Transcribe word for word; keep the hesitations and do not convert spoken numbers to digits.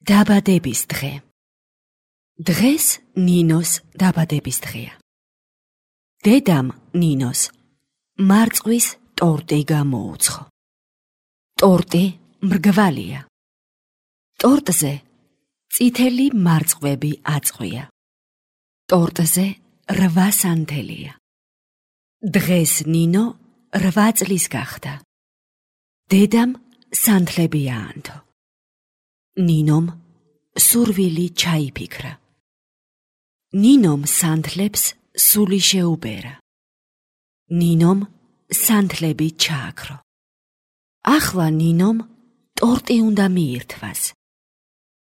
დაბადების დღე. დღეს ნინოს დაბადების დღეა. დედამ ნინოს მარწყვის ტორტი გამოუცხო. ტორტი მრგვალია. ტორტზე წითელი მარწყვები აწყვია. ტორტზე რვა სანთელია. დღეს ნინო რვა წლის გახდა. დედამ სანთლები აანთო. ნინომ სურვილი ჩაიფიქრა. ნინომ სანთლებს სული შეუბერა. ნინომ სანთლები ჩააქრო. ახლა ნინომ ტორტი უნდა მიირთვას.